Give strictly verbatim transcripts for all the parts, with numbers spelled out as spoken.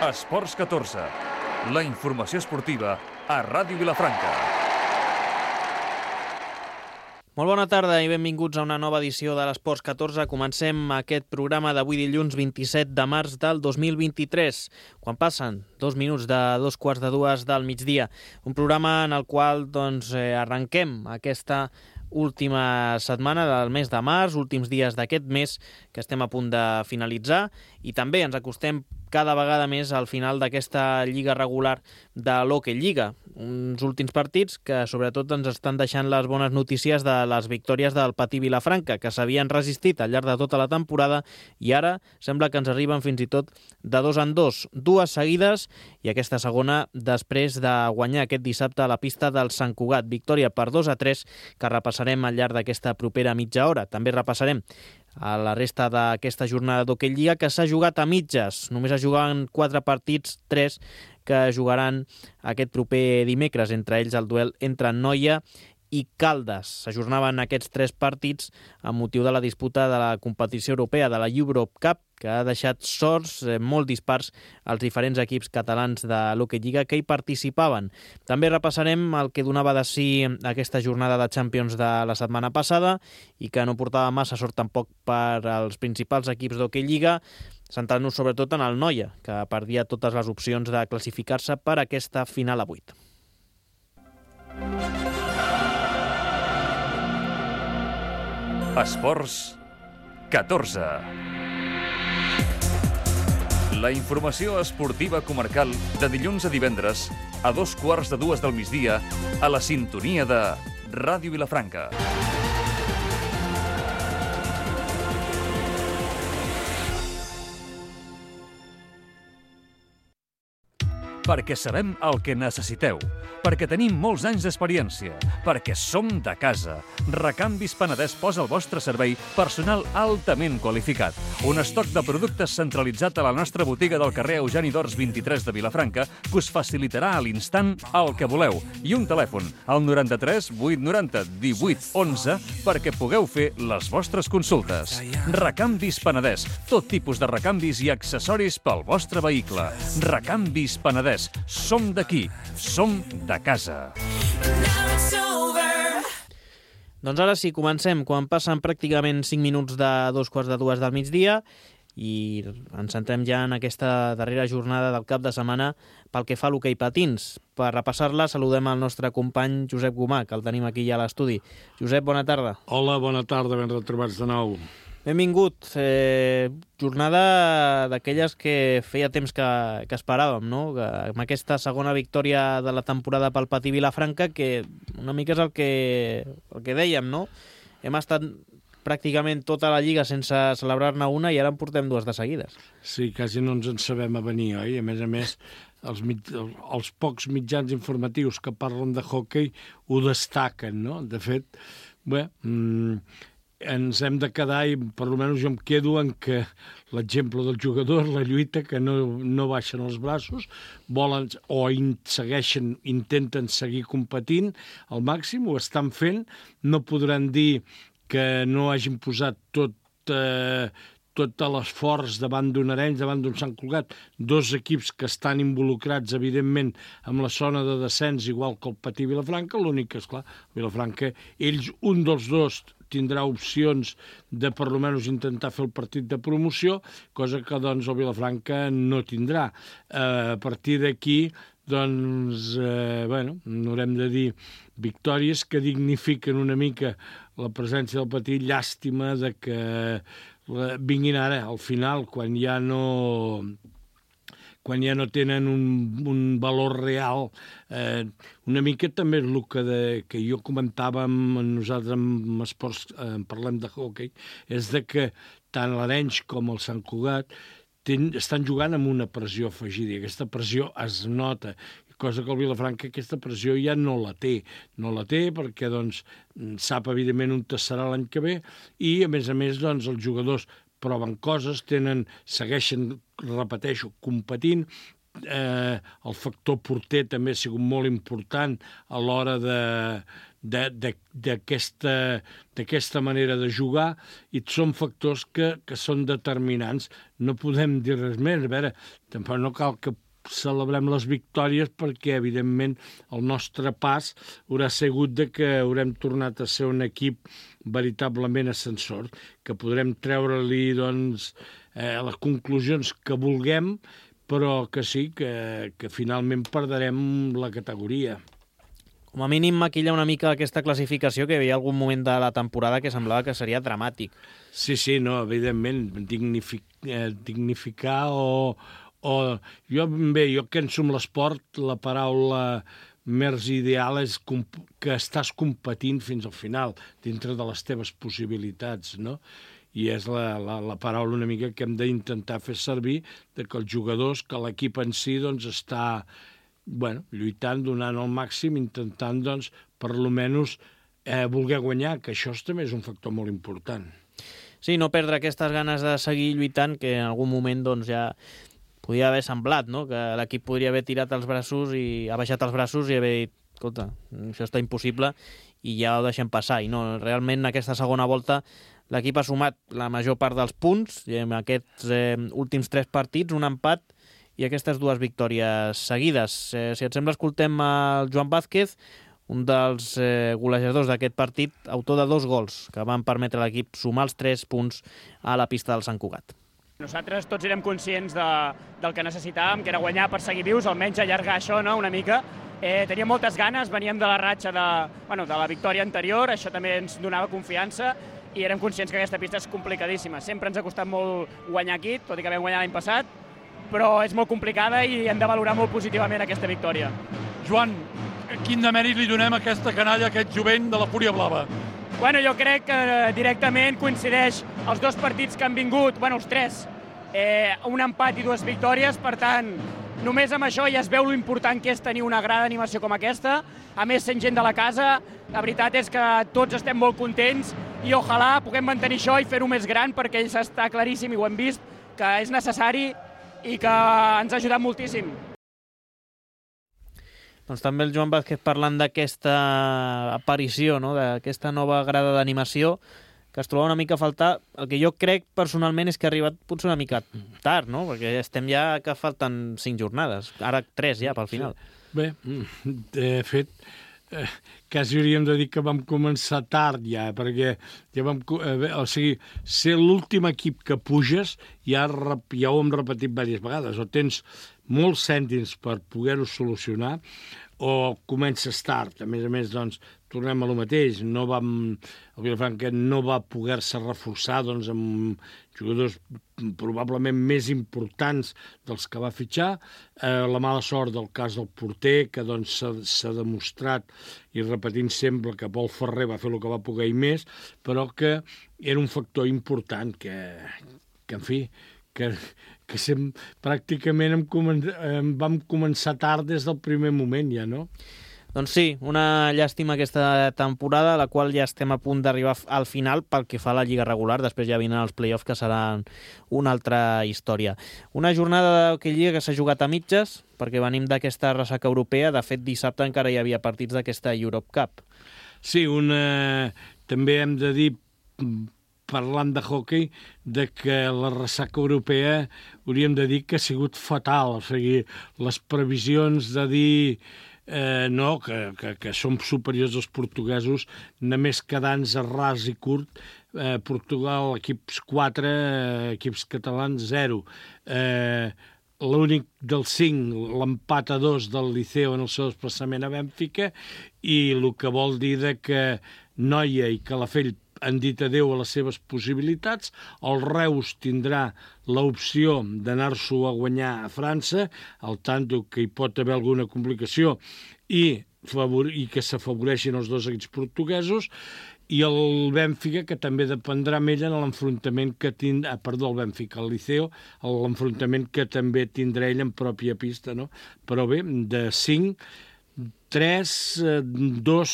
Esports catorze, la informació esportiva a Ràdio Vilafranca. Molt bona tarda i benvinguts a una nova edició de l'Esports catorze. Comencem aquest programa d'avui dilluns vint-i-set de març del dos mil vint-i-tres, quan passen dos minuts de dos quarts de dues del migdia. Un programa en el qual doncs, eh, arrenquem aquesta última setmana del mes de març, últims dies d'aquest mes que estem a punt de finalitzar, i també ens acostem cada vegada més al final d'aquesta lliga regular de l'Hockey Lliga. Uns últims partits que sobretot ens estan deixant les bones notícies de les victòries del Patí Vilafranca, que s'havien resistit al llarg de tota la temporada i ara sembla que ens arriben fins i tot de dos en dos, dues seguides, i aquesta segona després de guanyar aquest dissabte a la pista del Sant Cugat. Victòria per dos a tres que repassarem al llarg d'aquesta propera mitja hora. També repassarem a la resta d'aquesta jornada d'Hockey Lliga, que s'ha jugat a mitges. Només es juguen quatre partits, tres que jugaran aquest proper dimecres, entre ells el duel entre Noia i Caldes. S'ajornaven aquests tres partits amb motiu de la disputa de la competició europea, de la Europe Cup, que ha deixat sorts eh, molt dispars als diferents equips catalans de l'Hockey Lliga que hi participaven. També repassarem el que donava de si aquesta jornada de Champions de la setmana passada i que no portava massa sort tampoc per als principals equips d'Hockey Lliga, centrant-nos sobretot en el Noia, que perdia totes les opcions de classificar-se per aquesta final a vuit. Esports catorze. La informació esportiva comarcal de dilluns a divendres a dos quarts de dues del migdia a la sintonia de Ràdio Vilafranca. Perquè sabem el que necessiteu, perquè tenim molts anys d'experiència, perquè som de casa. Recanvis Penedès posa al vostre servei personal altament qualificat. Un estoc de productes centralitzat a la nostra botiga del carrer Eugeni d'Ors vint-i-tres de Vilafranca que us facilitarà a l'instant el que voleu. I un telèfon, al noranta-tres vuit noranta divuit onze, perquè pugueu fer les vostres consultes. Recanvis Penedès, tot tipus de recanvis i accessoris pel vostre vehicle. Recanvis Penedès. Som d'aquí, som de casa. Doncs ara sí, comencem, quan passen pràcticament cinc minuts de dos quarts de dues del migdia i ens centrem ja en aquesta darrera jornada del cap de setmana pel que fa a l'hoquei patins. Per repassar-la saludem el nostre company Josep Gomà, que el tenim aquí ja a l'estudi. Josep, bona tarda. Hola, bona tarda, ben retrobats de nou. Benvingut. Eh, jornada d'aquelles que feia temps que, que esperàvem, no? Que, amb aquesta segona victòria de la temporada pel Patí Vilafranca, que una mica és el que, el que dèiem, no? Hem estat pràcticament tota la lliga sense celebrar-ne una i ara en portem dues de seguides. Sí, quasi no ens en sabem a venir, oi? A més a més, els, mit... els pocs mitjans informatius que parlen de hoquei ho destaquen, no? De fet, bé... Mmm... ens hem de quedar, i per almenys jo em quedo en que l'exemple del jugador, la lluita, que no, no baixen els braços, volen o in, segueixen, intenten seguir competint al màxim, ho estan fent, no podran dir que no hagin posat tot, eh, tot l'esforç davant d'un Arenys, davant d'un Sant Cugat, dos equips que estan involucrats, evidentment, amb la zona de descens, igual que el Patí Vilafranca. L'únic que, esclar, Vilafranca, ells, un dels dos, tindrà opcions de per almenys intentar fer el partit de promoció, cosa que doncs el Vilafranca no tindrà. Eh, a partir d'aquí, doncs, eh, bueno, haurem de dir victòries que dignifiquen una mica la presència del Patí. Llàstima de que vinguin ara, al final, quan ja no... quan ja no tenen un, un valor real. Eh, una mica també és el que, de, que jo comentava amb nosaltres amb esports, eh, parlem de hoquei, és de que tant l'Arenys com el Sant Cugat ten, estan jugant amb una pressió afegida, i aquesta pressió es nota, cosa que el Vilafranca aquesta pressió ja no la té. No la té perquè doncs, sap evidentment on serà l'any que ve, i a més a més doncs, els jugadors proven coses, tenen, segueixen, repeteixo, competint. Eh, el factor porter també ha sigut molt important a l'hora de, d'aquesta manera de jugar, i són factors que, que són determinants. No podem dir res més. A veure, tampoc no cal que celebrem les victòries perquè, evidentment, el nostre pas haurà sigut de que haurem tornat a ser un equip veritablement ascensor, que podrem treure-li doncs, eh, les conclusions que vulguem, però que sí, que, que finalment perderem la categoria. Com a mínim maquilla una mica aquesta classificació, que hi havia algun moment de la temporada que semblava que seria dramàtic. Sí, sí, no, evidentment, dignific, eh, dignificar o, o... Jo, bé, jo que en som l'esport, la paraula més ideal és que estàs competint fins al final, dintre de les teves possibilitats, no? I és la, la, la paraula una mica que hem d'intentar fer servir, de que els jugadors, que l'equip en si, doncs, està bueno, lluitant, donant el màxim, intentant, doncs, per lo menys eh, voler guanyar, que això també és un factor molt important. Sí, no perdre aquestes ganes de seguir lluitant, que en algun moment doncs, ja podia haver semblat, no? Que l'equip podria haver tirat els braços i ha baixat els braços i haver dit, escolta, això està impossible i ja ho deixem passar. I no, realment aquesta segona volta l'equip ha sumat la major part dels punts i en aquests eh, últims tres partits, un empat i aquestes dues victòries seguides. Eh, si et sembla, escoltem el Joan Vázquez, un dels eh, golejadors d'aquest partit, autor de dos gols que van permetre a l'equip sumar els tres punts a la pista del Sant Cugat. Nosaltres tots érem conscients de, del que necessitàvem, que era guanyar per seguir vius, almenys allargar això, no?, una mica. Eh, teníem moltes ganes, veníem de la ratxa de, bueno, de la victòria anterior, això també ens donava confiança, i érem conscients que aquesta pista és complicadíssima. Sempre ens ha costat molt guanyar aquí, tot i que vam guanyar l'any passat, però és molt complicada i hem de valorar molt positivament aquesta victòria. Joan, quin demèrit li donem a aquesta canalla, a aquest jovent de la Fúria Blava? Bueno, jo crec que directament coincideix els dos partits que han vingut, bueno, els tres, eh, un empat i dues victòries, per tant, només amb això ja es veu l'important que és tenir una gran animació com aquesta, a més sent gent de la casa, la veritat és que tots estem molt contents i ojalà puguem mantenir això i fer-ho més gran, perquè està claríssim i ho hem vist, que és necessari i que ens ha ajudat moltíssim. Doncs també el Joan Vázquez parlant d'aquesta aparició, no?, d'aquesta nova grada d'animació, que es troba una mica a faltar. El que jo crec personalment és que ha arribat potser una mica tard, no?, perquè estem ja que falten cinc jornades, ara tres ja pel final. Bé, de fet, eh, quasi hauríem de dir que vam començar tard ja, perquè ja vam, eh, o sigui, ser l'últim equip que puges ja, ja ho hem repetit diverses vegades, o tens molts cèntims per poder-ho solucionar, o comences tard. A més a més, doncs, tornem a lo mateix. No vam, el Vilafranca no va poder-se reforçar doncs, amb jugadors probablement més importants dels que va fitxar. Eh, la mala sort del cas del porter, que doncs, s'ha demostrat, i repetint sempre, que Pol Ferrer va fer el que va poder i més, però que era un factor important que, que en fi, que, que sem, pràcticament hem comen, em vam començar tard des del primer moment ja, no? Doncs sí, una llàstima aquesta temporada, la qual ja estem a punt d'arribar al final pel que fa a la Lliga regular, després ja vindran els play-offs que seran una altra història. Una jornada de Lliga que s'ha jugat a mitges, perquè venim d'aquesta ressaca europea, de fet dissabte encara hi havia partits d'aquesta Europe Cup. Sí, una... també hem de dir, parlant de hoquei, de que la ressaca europea hauríem de dir que ha sigut fatal. O sigui, les previsions de dir eh, no, que, que, que som superiors als portuguesos, només quedant-nos a ras i curt, eh, Portugal, equips quatre, eh, equips catalans, zero. Eh, L'únic dels cinc, l'empat a dos del Liceo en el seu desplaçament a Bènfica, i el que vol dir de que Noia i Calafell han dit adéu a les seves possibilitats. El Reus tindrà l'opció d'anar-s'ho a guanyar a França, al tanto que hi pot haver alguna complicació i, favor i que s'afavoreixin els dos equips portuguesos, i el Bènfica, que també dependrà amb ell en l'enfrontament que tindrà, ah, perdó, el Bènfica, el Liceo, l'enfrontament que també tindrà ell en pròpia pista, no? Però bé, de cinc, tres, dos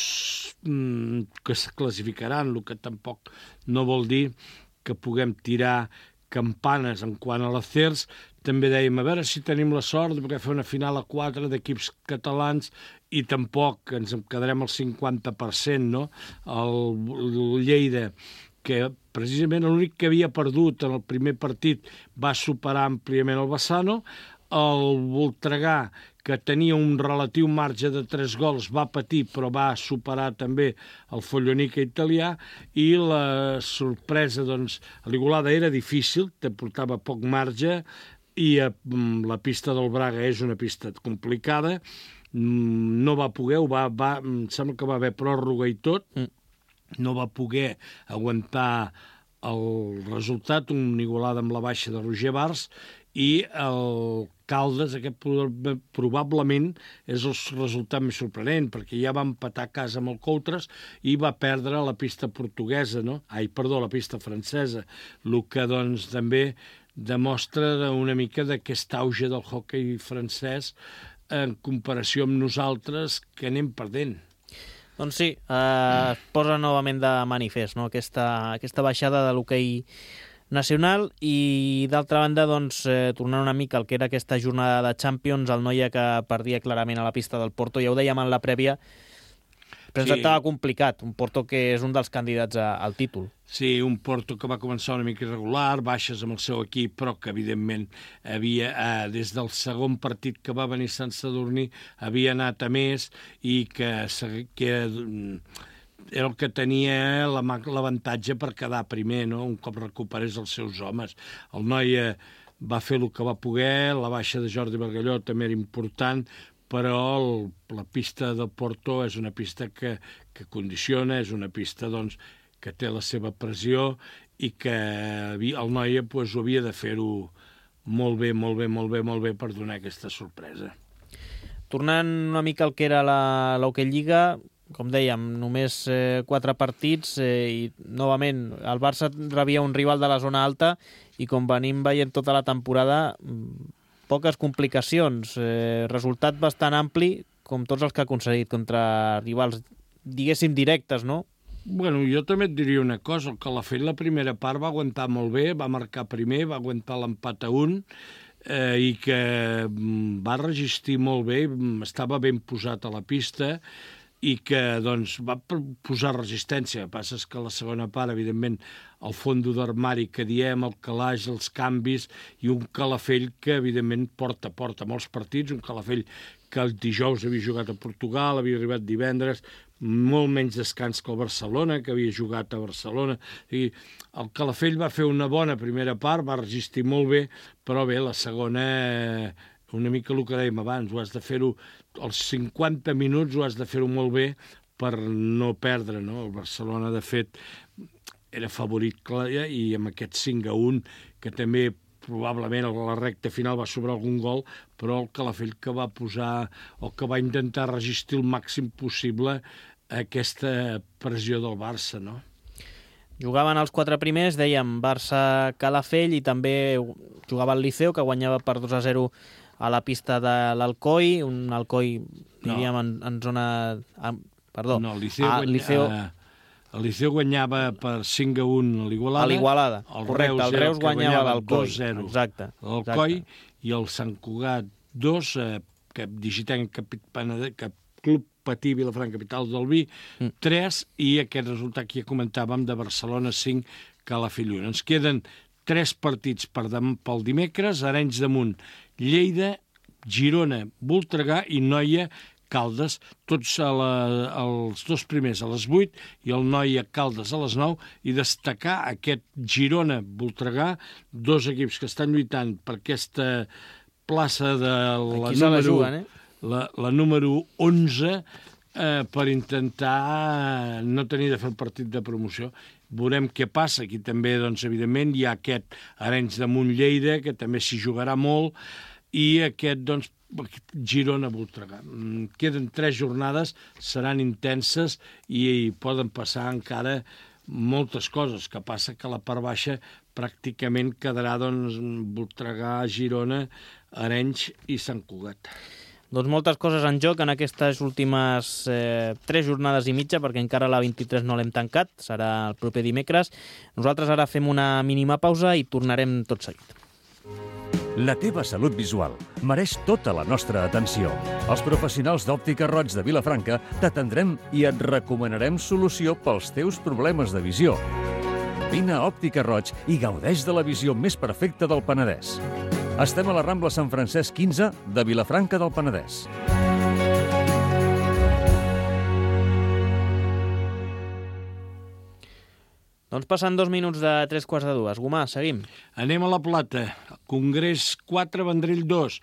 que es classificaran, el que tampoc no vol dir que puguem tirar campanes en quant a l'acers. També dèiem, a veure si tenim la sort de poder fer una final a quatre d'equips catalans i tampoc ens en quedarem al cinquanta per cent, no? El, el Lleida, que precisament l'únic que havia perdut en el primer partit va superar àmpliament el Bassano. El Voltregà, que tenia un relatiu marge de tres gols, va patir, però va superar també el Follonica italià, i la sorpresa, doncs, a l'Igualada era difícil, te portava poc marge, i eh, la pista del Braga és una pista complicada, no va poder, va, va, em sembla que va haver pròrroga i tot, no va poder aguantar el resultat, un Igualada amb la baixa de Roger Bars, i el Caldes, aquest probablement és el resultat més sorprenent, perquè ja va empatar a casa amb el Coutres i va perdre a la pista portuguesa, no? Ai, perdó, la pista francesa, el que doncs també demostra una mica d'aquest auge del hoquei francès en comparació amb nosaltres, que anem perdent. Doncs sí, eh, es posa novament de manifest, no? aquesta, aquesta baixada de l'hoquei nacional, i d'altra banda, doncs, eh, tornant una mica al que era aquesta jornada de Champions, el Noia que perdia clarament a la pista del Porto, ja ho dèiem en la prèvia, presentava sí. complicat, un Porto que és un dels candidats a, al títol. Sí, un Porto que va començar una mica irregular, baixes amb el seu equip, però que evidentment havia, eh, des del segon partit que va venir Sant Sadurní, havia anat a més, i que, que era el que tenia l'avantatge per quedar primer, no? Un cop recuperés els seus homes. El Noia va fer el que va poder, la baixa de Jordi Bargalló també era important, però el, la pista del Porto és una pista que, que condiciona, és una pista doncs, que té la seva pressió, i que el Noia pues, ho havia de fer-ho molt bé, molt bé, molt bé, molt bé per donar aquesta sorpresa. Tornant una mica al que era l'Hockey Lliga, com dèiem, només eh, quatre partits, eh, i novament el Barça rebia un rival de la zona alta, i com venim veient tota la temporada, poques complicacions, eh, resultat bastant ampli, com tots els que ha aconseguit contra rivals, diguéssim, directes, no? Bueno, jo també et diria una cosa, el Calafell la primera part va aguantar molt bé, va marcar primer, va aguantar l'empat a un, eh, i que va resistir molt bé, estava ben posat a la pista, i que doncs, va posar resistència. El que passa és que la segona part, evidentment, el fondo d'armari que diem, el calaix, els canvis, i un Calafell que, evidentment, porta, porta molts partits, un Calafell que el dijous havia jugat a Portugal, havia arribat divendres, molt menys descans que el Barcelona, que havia jugat a Barcelona. I el Calafell va fer una bona primera part, va resistir molt bé, però bé, la segona, una mica el que dèiem abans, ho has de fer-ho, els cinquanta minuts ho has de fer-ho molt bé per no perdre, no? El Barcelona, de fet, era favorit clar, i amb aquest cinc a un, que també probablement a la recta final va sobrar algun gol, però el Calafell que va posar, o que va intentar resistir el màxim possible aquesta pressió del Barça, no? Jugaven els quatre primers, dèiem Barça-Calafell, i també jugava el Liceo, que guanyava per dos a zero a la pista de l'Alcoi, un Alcoi, diríem, no. en, en zona... En, perdó. No, el Liceo, ah, guanya, Liceo... el Liceo guanyava per cinc a un a l'Igualada. A l'Igualada, correcte. El Reus guanyava l'Alcoi. dos a zero. Exacte. L'Alcoi, i el Sant Cugat dos, eh, que Digitanc Cap Club Patí Vilafranca Capital del Vi, mm. tres, i aquest resultat que ja comentàvem de Barcelona cinc, Calafell un. Ens queden tres partits per dem pel dimecres, Arenys de Munt, Lleida, Girona, Voltregà i Noia, Caldes, tots a la, els dos primers a les vuit i el Noia Caldes a les nou, i destacar aquest Girona-Voltregà, dos equips que estan lluitant per aquesta plaça de la Aquí número, la, juguen, eh? la, la número onze, eh, per intentar no tenir de fer el partit de promoció. Veurem què passa. Aquí també, doncs, evidentment, hi ha aquest Arenys de Munt Lleida, que també s'hi jugarà molt, i aquest, doncs, Girona-Voltregà. Queden tres jornades, seran intenses i poden passar encara moltes coses, que passa que la part baixa pràcticament quedarà, doncs, Voltregà, Girona, Arenys i Sant Cugat. Doncs moltes coses en joc en aquestes últimes eh, tres jornades i mitja, perquè encara la vint-i-tres no l'hem tancat, serà el proper dimecres. Nosaltres ara fem una mínima pausa i tornarem tot seguit. La teva salut visual mereix tota la nostra atenció. Els professionals d'Òptica Roig de Vilafranca t'atendrem i et recomanarem solució pels teus problemes de visió. Vine a Òptica Roig i gaudeix de la visió més perfecta del Penedès. Estem a la Rambla Sant Francesc quinze de Vilafranca del Penedès. Doncs passen dos minuts de tres quarts de dues. Gomà, seguim. Anem a la Plata. Congrés quatre, Vendrell dos.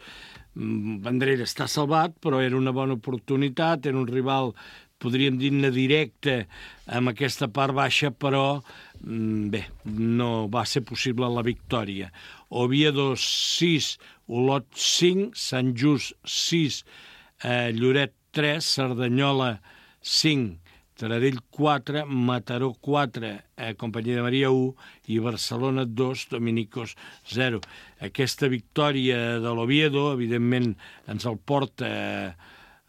Vendrell està salvat, però era una bona oportunitat, era un rival, podríem dir-ne directe, amb aquesta part baixa, però bé, no va ser possible la victòria. Oviedo sis, Olot cinc, Sant Just sis, eh, Lloret tres, Cerdanyola cinc, Taradell quatre, Mataró quatre, eh, Companyia de Maria u i Barcelona dos, Dominicos zero. Aquesta victòria de l'Oviedo, evidentment, ens el porta eh,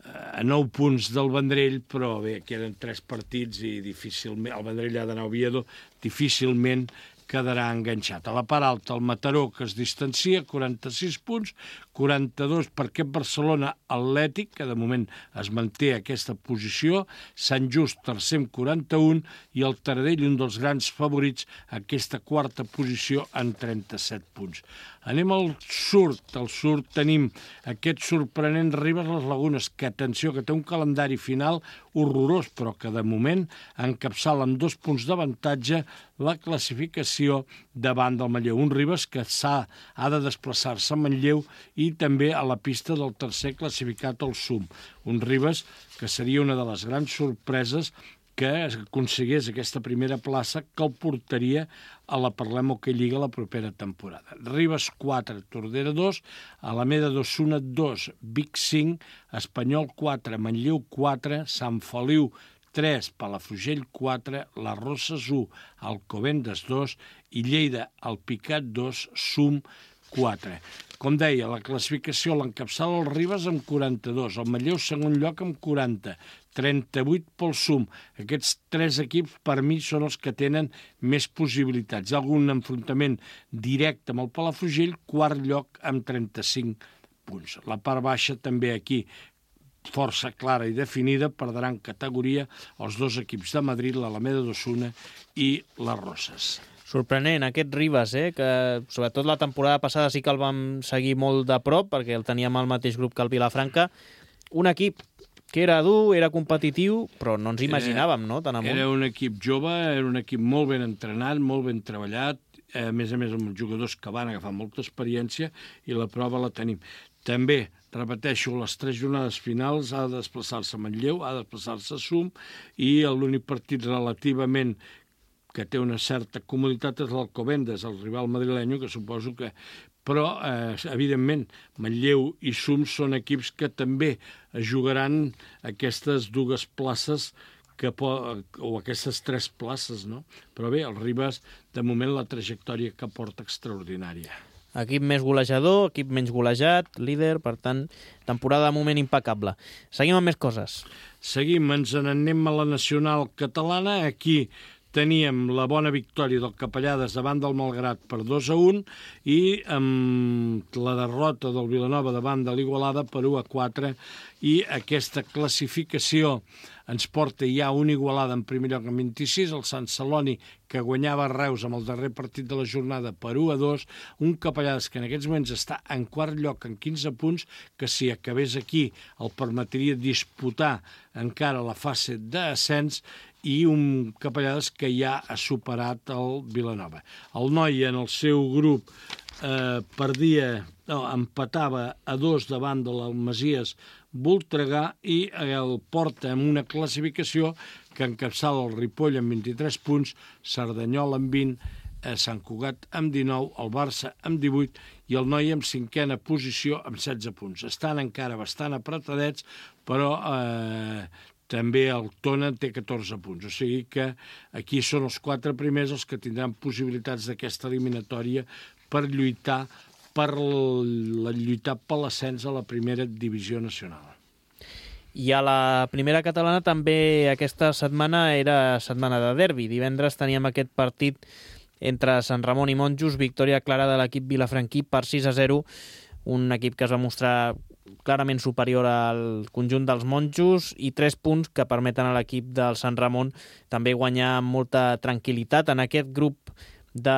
a nou punts del Vendrell, però bé, queden tres partits i difícilment, el Vendrell ha d'anar a Oviedo, difícilment quedarà enganxat. A la part alta, el Mataró, que es distancia, quaranta-sis punts, quaranta-dos per aquest Barcelona Atlètic, que de moment es manté aquesta posició, Sant Just, tercer amb quaranta-un, i el Taradell, un dels grans favorits, aquesta quarta posició en trenta-set punts. Anem al sud. Al sud tenim aquest sorprenent Ribes les Lagunes, que, atenció, que té un calendari final horrorós, però que de moment encapçala amb dos punts d'avantatge la classificació davant del Manlleu. Un Ribes que s'ha ha de desplaçar-se a Manlleu i també a la pista del tercer classificat al Sum. Un Ribes que seria una de les grans sorpreses que aconseguís aquesta primera plaça que el portaria a la Parlem Hockey Lliga la propera temporada. Ribes quatre, Tordera dos, Alameda d'Osuna dos, Vic cinc, Espanyol quatre, Manlleu quatre, Sant Feliu tres, Palafrugell quatre, Les Roses u, Alcobendas dos i Lleida Alpicat dos, Sum quatre. Com deia, la classificació l'encapçala el Ribes amb quaranta-dos, el Manlleu segon lloc amb quaranta, trenta-vuit pel Sum. Aquests tres equips, per mi, són els que tenen més possibilitats. Hi ha algun enfrontament directe amb el Palafrugell, quart lloc amb trenta-cinc punts. La part baixa també aquí, força clara i definida, perdran categoria els dos equips de Madrid, l'Alameda d'Osuna i les Roses. Sorprenent, aquest Ribes, eh, que sobretot la temporada passada sí que el vam seguir molt de prop, perquè el teníem al mateix grup que el Vilafranca. Un equip que era dur, era competitiu, però no ens imaginàvem, no?, tan amunt. Era un equip jove, era un equip molt ben entrenat, molt ben treballat, a més a més amb els jugadors que van agafar molta experiència, i la prova la tenim. També, repeteixo, les tres jornades finals ha de desplaçar-se a Manlleu, ha de desplaçar-se a Sum, i l'únic partit relativament que té una certa comoditat és l'Alcobendas, el rival madrilenyo, que suposo que... Però, eh, evidentment, Manlleu i Sum són equips que també jugaran aquestes dues places que po... o aquestes tres places, no? Però bé, el Ribes, de moment, la trajectòria que porta extraordinària. Equip més golejador, equip menys golejat, líder, per tant, temporada de moment impecable. Seguim amb més coses. Seguim, ens n'anem a la nacional catalana. Aquí teníem la bona victòria del Capellades davant del Malgrat per dos a un i amb la derrota del Vilanova davant de l'Igualada per u a quatre, i aquesta classificació ens porta ja un Igualada en primer lloc amb vint-i-sis, el Sant Celoni que guanyava Reus amb el darrer partit de la jornada per u a dos, un Capellades que en aquests moments està en quart lloc amb quinze punts, que si acabés aquí el permetria disputar encara la fase d'ascens, i un Capellades que ja ha superat el Vilanova. El Noi en el seu grup eh, perdia, no, empatava a dos davant de l'Almasies Voltregà i el porta amb una classificació que encapçala el Ripoll amb vint-i-tres punts, Cerdanyola amb vint, eh, Sant Cugat amb dinou, el Barça amb divuit i el Noi amb cinquena posició amb setze punts. Estan encara bastant apretadets, però eh, també el Tona té catorze punts, o sigui que aquí són els quatre primers els que tindran possibilitats d'aquesta eliminatòria per lluitar per la lluitar per l'ascens a la primera divisió nacional. I a la primera catalana també aquesta setmana era setmana de derbi. Divendres teníem aquest partit entre Sant Ramon i Monjos, victòria clara de l'equip vilafranquí per sis a zero, un equip que es va mostrar clarament superior al conjunt dels monjos i tres punts que permeten a l'equip del Sant Ramon també guanyar amb molta tranquil·litat en aquest grup de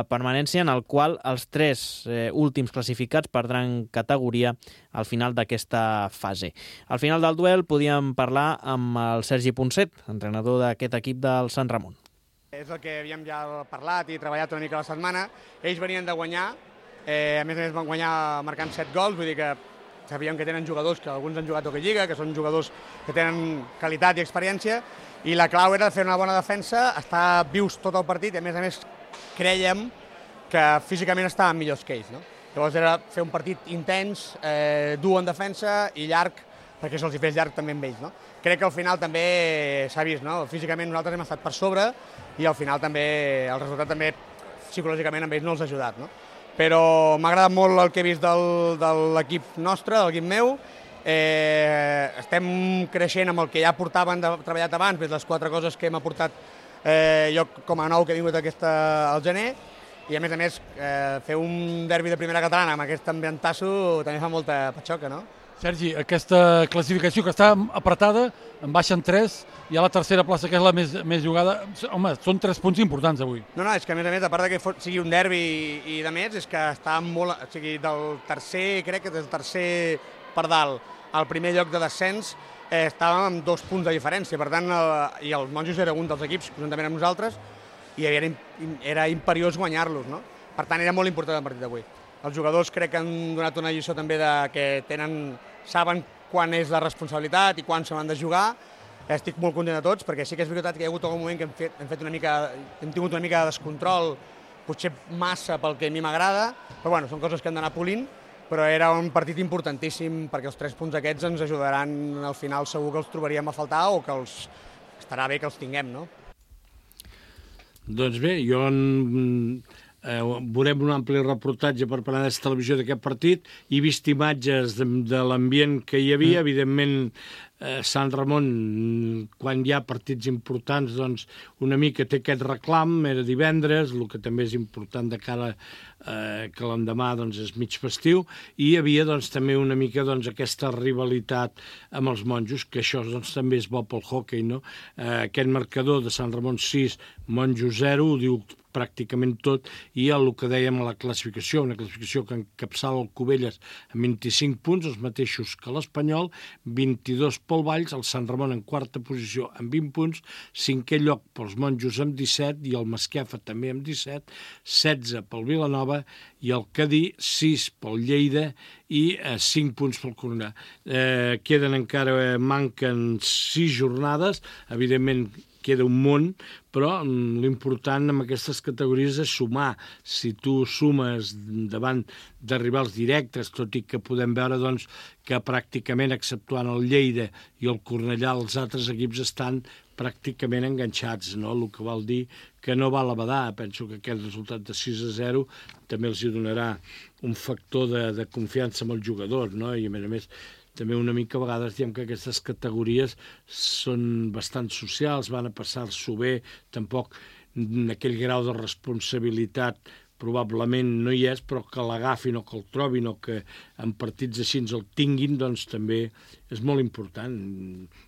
permanència en el qual els tres eh, últims classificats perdran categoria al final d'aquesta fase. Al final del duel podíem parlar amb el Sergi Ponset, entrenador d'aquest equip del Sant Ramon. És el que havíem ja parlat i treballat una mica la setmana. Ells venien de guanyar, eh, a més a més van guanyar marcant set gols, vull dir que sabíem que tenen jugadors que alguns han jugat a Lliga, que són jugadors que tenen qualitat i experiència, i la clau era fer una bona defensa, estar vius tot el partit i a més a més crèiem que físicament estàvem millors que ells. No? Llavors era fer un partit intens, eh, dur en defensa i llarg, perquè se'ls hi fes llarg també amb ells. No? Crec que al final també s'ha vist, no? Físicament nosaltres hem estat per sobre i al final també el resultat també psicològicament amb ells no els ha ajudat. No? Però m'ha agradat molt el que he vist del, de l'equip nostre, del equip meu. Eh, estem creixent amb el que ja portaven de, treballat abans, les quatre coses que hem aportat eh, jo com a nou que he vingut aquesta, al gener, i a més a més eh, fer un derbi de primera catalana amb aquest ambientasso també fa molta patxoca, no? Sergi, aquesta classificació que està apretada, en baixen tres, i a la tercera plaça, que és la més, més jugada, home, són tres punts importants avui. No, no, és que a més a més, a part que sigui un derbi i, i de més, és que està molt, o sigui, del tercer, crec que del tercer per dalt al primer lloc de descens, eh, estàvem amb dos punts de diferència, per tant, eh, i els Monjos era un dels equips, juntament amb nosaltres, i era, era imperiós guanyar-los, no? Per tant, era molt important el partit d'avui. Els jugadors crec que han donat una lliçó també de que tenen, saben quan és la responsabilitat i quan se l'han de jugar. Estic molt content de tots, perquè sí que és veritat que hi ha hagut algun moment que hem, fet, hem, fet una mica, hem tingut una mica de descontrol, potser massa pel que a mi m'agrada, però bueno, són coses que han d'anar polint, però era un partit importantíssim perquè els tres punts aquests ens ajudaran al final, segur que els trobaríem a faltar o que els estarà bé que els tinguem, no? Doncs bé, jo en... Eh, veurem un ampli reportatge per Penedès Televisió d'aquest partit. He vist imatges de, de l'ambient que hi havia. Mm. Evidentment, eh, Sant Ramon, quan hi ha partits importants, doncs una mica té aquest reclam. Era divendres, el que també és important de cara eh, que l'endemà doncs, és mig festiu. I hi havia doncs, també una mica doncs, aquesta rivalitat amb els monjos, que això doncs, també és bo pel hoquei, no? Eh, aquest marcador de Sant Ramon sis, Monjos zero, ho diu pràcticament tot, i el que dèiem a la classificació, una classificació que encapçala el Cubelles amb vint-i-cinc punts, els mateixos que l'Espanyol, vint-i-dos pel Valls, el Sant Ramon en quarta posició amb vint punts, cinquè lloc pels Monjos amb disset, i el Masquefa també amb disset, setze pel Vilanova, i el Cadí, sis pel Lleida, i eh, cinc punts pel Cornellà. Eh, queden encara, eh, manquen sis jornades, evidentment queda un món, però l'important en aquestes categories és sumar. Si tu sumes davant de rivals directes, tot i que podem veure doncs, que pràcticament, exceptuant el Lleida i el Cornellà, els altres equips estan pràcticament enganxats, no? El que vol dir que no val a badar. Penso que aquest resultat de sis a zero també els hi donarà un factor de, de confiança amb el jugador, no? I a més a més, també una mica a vegades diem que aquestes categories són bastant socials, van a passar-s'ho bé, tampoc aquell grau de responsabilitat probablement no hi és, però que l'agafin o que el trobin o que en partits així ens el tinguin, doncs també és molt important.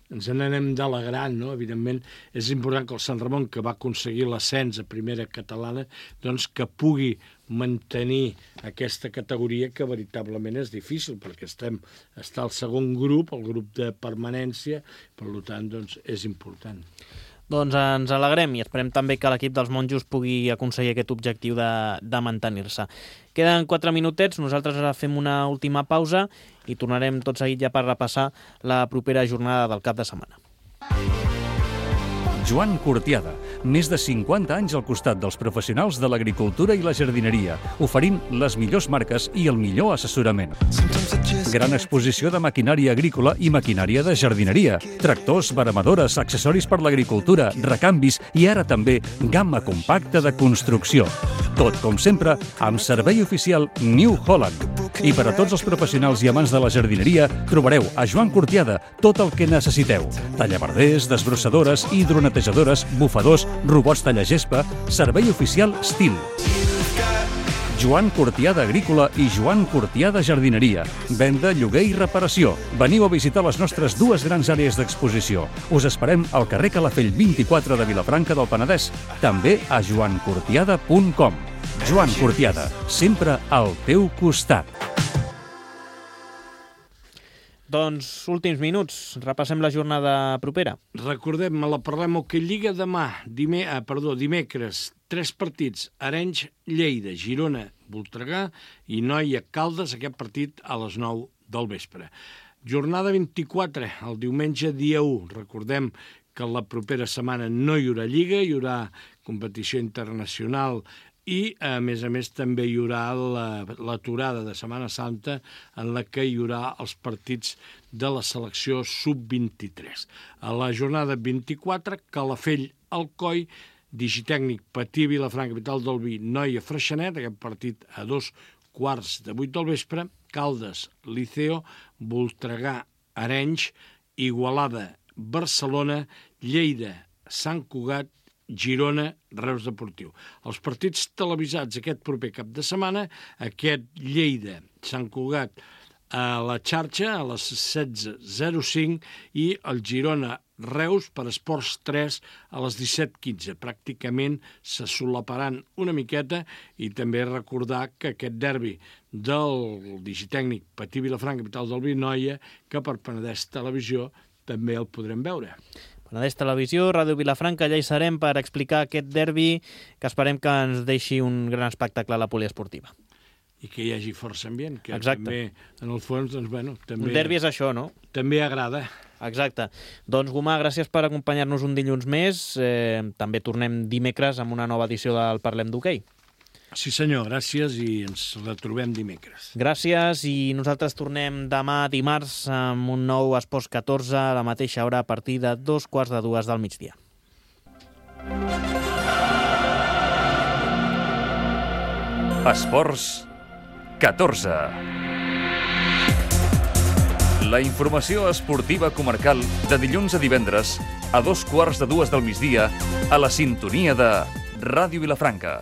Ens n'anem d'alegrar, no? Evidentment, és important que el Sant Ramon, que va aconseguir l'ascens a primera catalana, doncs que pugui mantenir aquesta categoria que veritablement és difícil, perquè estem, està al segon grup, el grup de permanència, per tant, doncs, és important. Doncs ens alegrem i esperem també que l'equip dels Monjos pugui aconseguir aquest objectiu de, de mantenir-se. Queden quatre minutets, nosaltres ara fem una última pausa i tornarem tot seguit ja per repassar la propera jornada del cap de setmana. Joan Cortiada, més de cinquanta anys al costat dels professionals de l'agricultura i la jardineria, oferint les millors marques i el millor assessorament. Gran exposició de maquinària agrícola i maquinària de jardineria, tractors, veremadores, accessoris per l'agricultura, recanvis i ara també gamma compacta de construcció. Tot, com sempre, amb servei oficial New Holland. I per a tots els professionals i amants de la jardineria, trobareu a Joan Cortiada tot el que necessiteu. Tallaverders, desbrossadores, hidronetejadores, bufadors, robots tallagespa, servei oficial Stihl. Joan Cortiada Agrícola i Joan Cortiada Jardineria. Venda, lloguer i reparació. Veniu a visitar les nostres dues grans àrees d'exposició. Us esperem al carrer Calafell vint-i-quatre de Vilafranca del Penedès, també a joan cortiada punt com. Joan Cortiada, sempre al teu costat. Doncs, últims minuts, repassem la jornada propera. Recordem, me la parlem Hockey Lliga demà, dime, ah, perdó, dimecres, tres partits, Arenys, Lleida, Girona, Voltregà i Noia, Caldes, aquest partit a les nou del vespre. Jornada vint-i-quatre, el diumenge dia u, recordem que la propera setmana no hi haurà Lliga, hi haurà competició internacional i, a més a més, també hi haurà l'aturada de Setmana Santa en la que hi haurà els partits de la selecció sub vint-i-tres. A la jornada vint-i-quatre, Calafell, Alcoi, Digitècnic, Patí, Vilafranca, Capital del Vi, Noia, Freixenet, aquest partit a dos quarts de vuit del vespre, Caldes, Liceo, Voltregà, Arenys, Igualada, Barcelona, Lleida, Sant Cugat, Girona, Reus Deportiu. Els partits televisats aquest proper cap de setmana, aquest Lleida, Sant Cugat a la xarxa a les setze zero cinc i el Girona Reus per Esports tres a les disset quinze. Pràcticament se solaparan una miqueta i també recordar que aquest derbi del Digitècnic Patí Vilafranca, Capital del Vi, Noia, que per Penedès Televisió també el podrem veure. Penedès Televisió, Ràdio Vilafranca, allà hi serem per explicar aquest derbi que esperem que ens deixi un gran espectacle a la poliesportiva. I que hi hagi força ambient, que Exacte. també, en el fons, doncs, bueno, també... Un derbi és això, no? També agrada. Exacte. Doncs, Gomà, gràcies per acompanyar-nos un dilluns més. Eh, també tornem dimecres amb una nova edició del Parlem d'Hoquei. Sí, senyor, gràcies i ens retrobem dimecres. Gràcies i nosaltres tornem demà dimarts amb un nou Esports catorze a la mateixa hora a partir de dos quarts de dues del migdia. Esports catorze. La informació esportiva comarcal de dilluns a divendres a dos quarts de dues del migdia a la sintonia de Ràdio Vilafranca.